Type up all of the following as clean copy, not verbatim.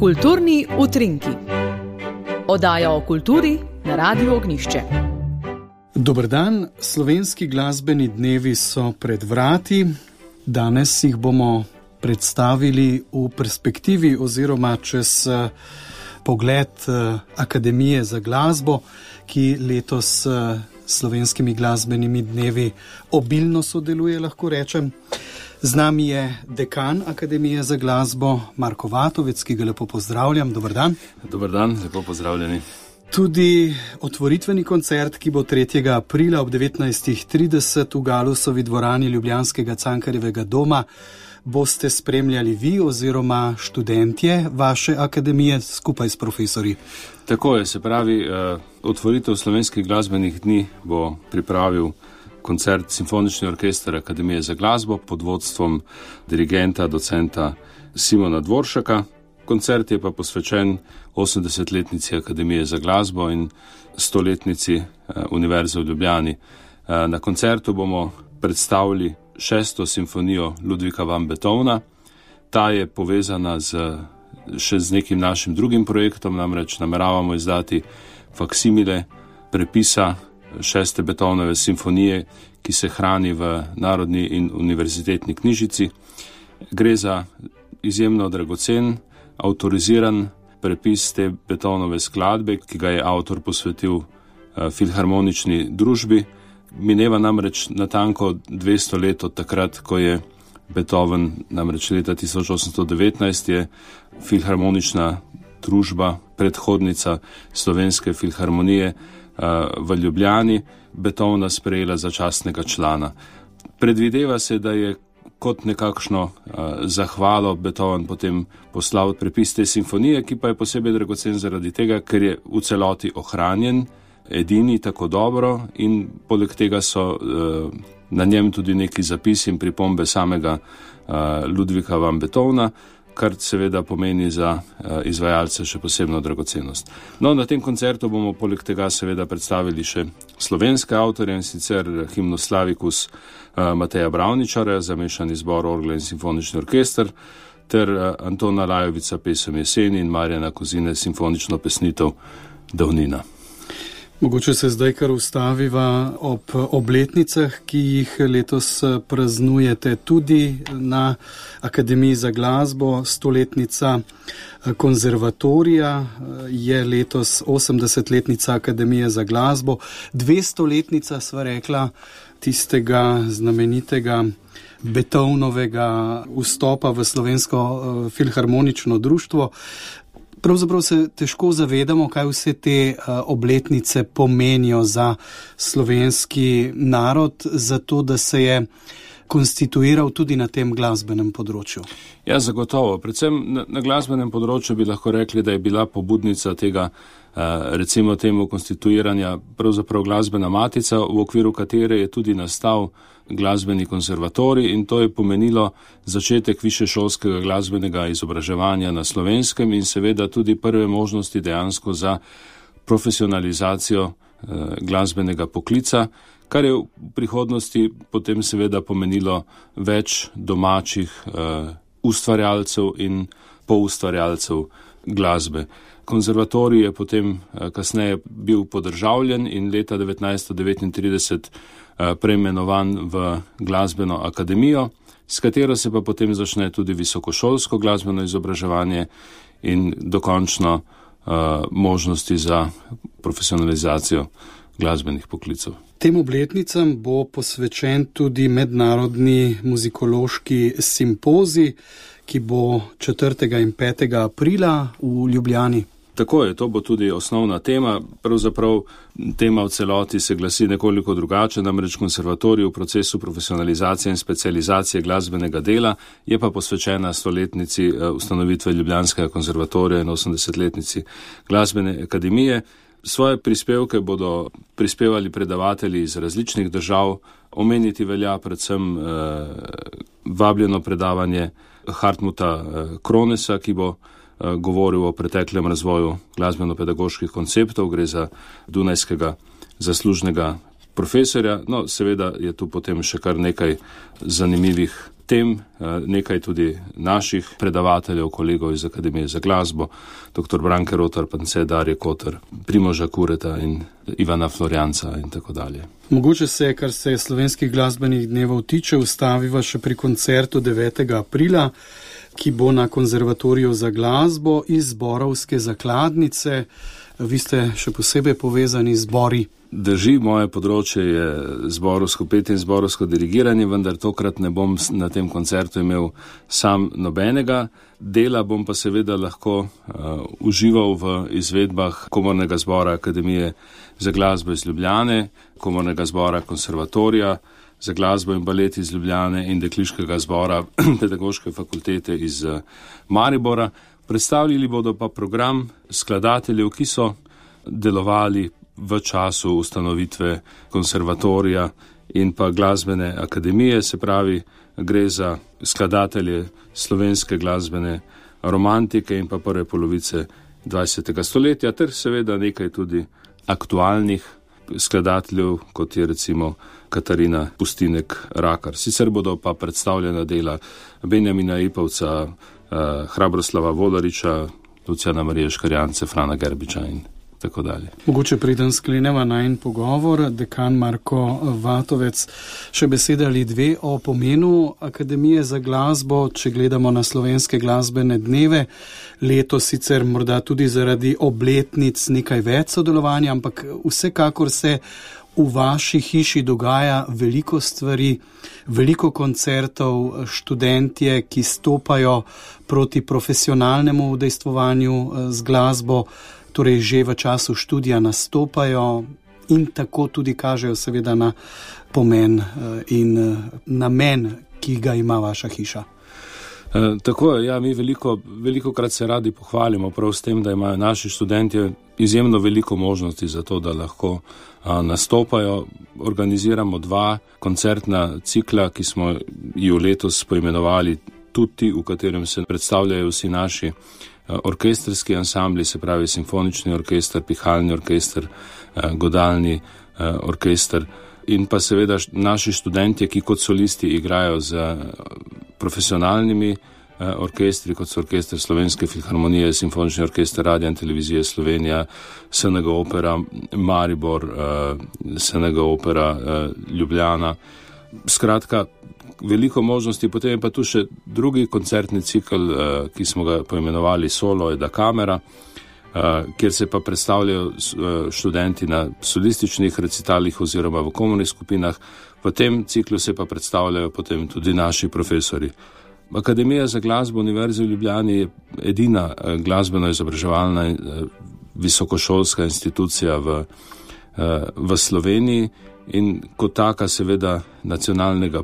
Kulturni utrinki. Oddaja o kulturi na Radiu Ognjišče. Dober dan, slovenski glasbeni dnevi so pred vrati. Danes jih bomo predstavili v perspektivi oziroma čez pogled Akademije za glasbo, ki letos slovenskimi glasbenimi dnevi obilno sodeluje, lahko rečem. Z nami je dekan Akademije za glasbo Marko Vatovec, ki ga lepo pozdravljam. Dober dan. Dober dan, lepo pozdravljeni. Tudi otvoritveni koncert, ki bo 3. aprila ob 19.30 v Galusovi dvorani ljubljanskega Cankarjevega doma, boste spremljali vi oziroma študentje vaše akademije skupaj s profesorji. Tako je, se pravi, otvoritev slovenskih glasbenih dni bo pripravil koncert Simfonični orkester Akademije za glasbo pod vodstvom dirigenta, docenta Simona Dvoršaka. Koncert je pa posvečen 80-letnici Akademije za glasbo in 100-letnici Univerze v Ljubljani. Na koncertu bomo predstavili 6. simfonijo Ludvika van Beethovna. Ta je povezana še z nekim našim drugim projektom, namreč nameravamo izdati faksimile prepisa 6. Beethovenove simfonije, ki se hrani v Narodni in univerzitetni knjižici. Gre za izjemno dragocen, avtoriziran prepis te Beethovenove skladbe, ki ga je avtor posvetil filharmonični družbi. Mineva namreč natanko 200 let od takrat, ko je Beethoven, namreč leta 1819, je filharmonična družba, predhodnica Slovenske filharmonije v Ljubljani, Beethovna sprejela za častnega člana. Predvideva se, da je kot nekakšno zahvalo Beethoven potem poslal prepis te simfonije, ki pa je posebej dragocen zaradi tega, ker je v celoti ohranjen, edini, tako dobro, in poleg tega so na njem tudi neki zapisi in pripombe samega Ludvika van Beethovna, kar seveda pomeni za izvajalce še posebno dragocenost. No, na tem koncertu bomo poleg tega seveda predstavili še slovenske avtorje, in sicer himno Slavicus Mateja Bravničarja, zamešani zbor orgle in simfonični orkester, ter Antona Lajovica pesem Jeseni in Marjana Kozine simfonično pesnitev Davnina. Mogoče se zdaj kar ustaviva ob obletnicah, ki jih letos praznujete tudi na Akademiji za glasbo. 100-letnica konzervatorija je letos 80-letnica Akademije za glasbo, 200-letnica, sva rekla, tistega znamenitega Beethovenovega vstopa v Slovensko filharmonično društvo. Pravzaprav se težko zavedamo, kaj vse te obletnice pomenijo za slovenski narod, zato da se je konstituiral tudi na tem glasbenem področju. Ja, zagotovo. Predvsem na glasbenem področju bi lahko rekli, da je bila pobudnica tega, recimo temu, konstituiranja pravzaprav glasbena matica, v okviru katere je tudi nastal glasbeni konservatorij, in to je pomenilo začetek višješolskega glasbenega izobraževanja na Slovenskem in seveda tudi prve možnosti dejansko za profesionalizacijo glasbenega poklica, kar je v prihodnosti potem seveda pomenilo več domačih ustvarjalcev in poustvarjalcev glasbe. Konzervatorij je potem kasneje bil podržavljen in leta 1939 preimenovan v Glasbeno akademijo, s katero se pa potem začne tudi visokošolsko glasbeno izobraževanje in dokončno možnosti za profesionalizacijo glasbenih poklicev. Tem obletnicam bo posvečen tudi mednarodni muzikološki simpozij, ki bo 4. in 5. aprila v Ljubljani. Tako je, to bo tudi osnovna tema. Pravzaprav tema v celoti se glasi nekoliko drugače, namreč konservatorij v procesu profesionalizacije in specializacije glasbenega dela je pa posvečena 100-letnici ustanovitve Ljubljanskega konservatorija in 80-letnici Glasbene akademije. Svoje prispevke bodo prispevali predavatelji iz različnih držav. Omeniti velja predvsem vabljeno predavanje Hartmuta Kronesa, ki bo govoril o preteklem razvoju glasbeno-pedagoških konceptov. Gre za dunajskega zaslužnega profesorja. No, seveda je tu potem še kar nekaj zanimivih tem nekaj tudi naših predavateljev, kolegov iz Akademije za glasbo, dr. Branke Rotar, Pance, Darje Kotar, Primoža Kureta in Ivana Florjanca in tako dalje. Mogoče se, kar se slovenskih glasbenih dnevov tiče, ustaviva še pri koncertu 9. aprila, ki bo na Konzervatoriju za glasbo iz Zborovske zakladnice. Vi ste še posebej povezani z zbori. Drži, moje področje je zborovsko petje in zborovsko dirigiranje, vendar tokrat ne bom na tem koncertu imel sam nobenega dela, bom pa seveda lahko užival v izvedbah Komornega zbora Akademije za glasbo iz Ljubljane, Komornega zbora Konservatorija za glasbo in balet iz Ljubljane in Dekliškega zbora Pedagoške fakultete iz Maribora. Predstavljali bodo pa program skladateljev, ki so delovali v času ustanovitve konservatorija in pa glasbene akademije, se pravi, gre za skladatelje slovenske glasbene romantike in pa prve polovice 20. stoletja, ter seveda nekaj tudi aktualnih skladateljev, kot je recimo Katarina Pustinek-Rakar. Sicer bodo pa predstavljena dela Benjamina Ipavca, Hrabroslava Volariča, Lucijana Marije Škarjance, Frana Gerbiča in tako dalje. Mogoče preden skleneva najin pogovor, dekan Marko Vatovec, še besede ali dve o pomenu Akademije za glasbo, če gledamo na slovenske glasbene dneve. Letos sicer morda tudi zaradi obletnic nekaj več sodelovanja, ampak vsekakor se v vaši hiši dogaja veliko stvari, veliko koncertov, študentje, ki stopajo proti profesionalnemu udejstvovanju z glasbo, torej že v času študija nastopajo in tako tudi kažejo seveda na pomen in namen, ki ga ima vaša hiša. Tako je, ja, mi velikokrat se radi pohvalimo prav s tem, da imajo naši študentje izjemno veliko možnosti za to, da lahko nastopajo. Organiziramo 2 koncertna cikla, ki smo ju letos poimenovali Tutti, v katerem se predstavljajo vsi naši orkestrski ansambli, se pravi simfonični orkester, pihalni orkester, godalni orkester in pa seveda naši študentje, ki kot solisti igrajo z profesionalnimi orkestri, kot so Orkester Slovenske filharmonije, Simfonični orkester Radia in Televizije Slovenija, SNG Opera Maribor, SNG Opera Ljubljana. Skratka, veliko možnosti, potem je pa tu še drugi koncertni cikl, ki smo ga poimenovali Solo da Camera, kjer se pa predstavljajo študenti na solističnih recitalih oziroma v komornih skupinah. V tem ciklu se pa predstavljajo potem tudi naši profesori. Akademija za glasbo Univerze v Ljubljani je edina glasbeno-izobraževalna visokošolska institucija v Sloveniji in kot taka seveda nacionalnega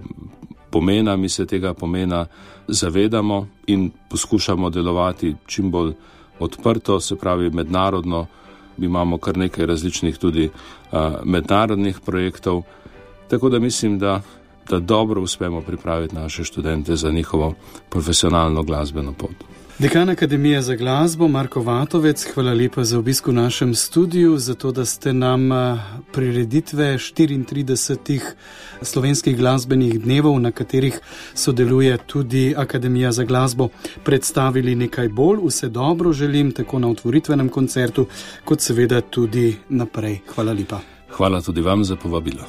pomena, mi se tega pomena zavedamo in poskušamo delovati čim bolj odprto, se pravi mednarodno. Imamo kar nekaj različnih tudi mednarodnih projektov, tako da mislim, da dobro uspemo pripraviti naše študente za njihovo profesionalno glasbeno pot. Dekan Akademije za glasbo Marko Vatovec, hvala lepa za obisk v našem studiu, zato da ste nam prireditve 34 slovenskih glasbenih dnevov, na katerih sodeluje tudi Akademija za glasbo, predstavili nekaj bolj. Vse dobro želim tako na otvoritvenem koncertu, kot seveda tudi naprej. Hvala lepa. Hvala tudi vam za povabilo.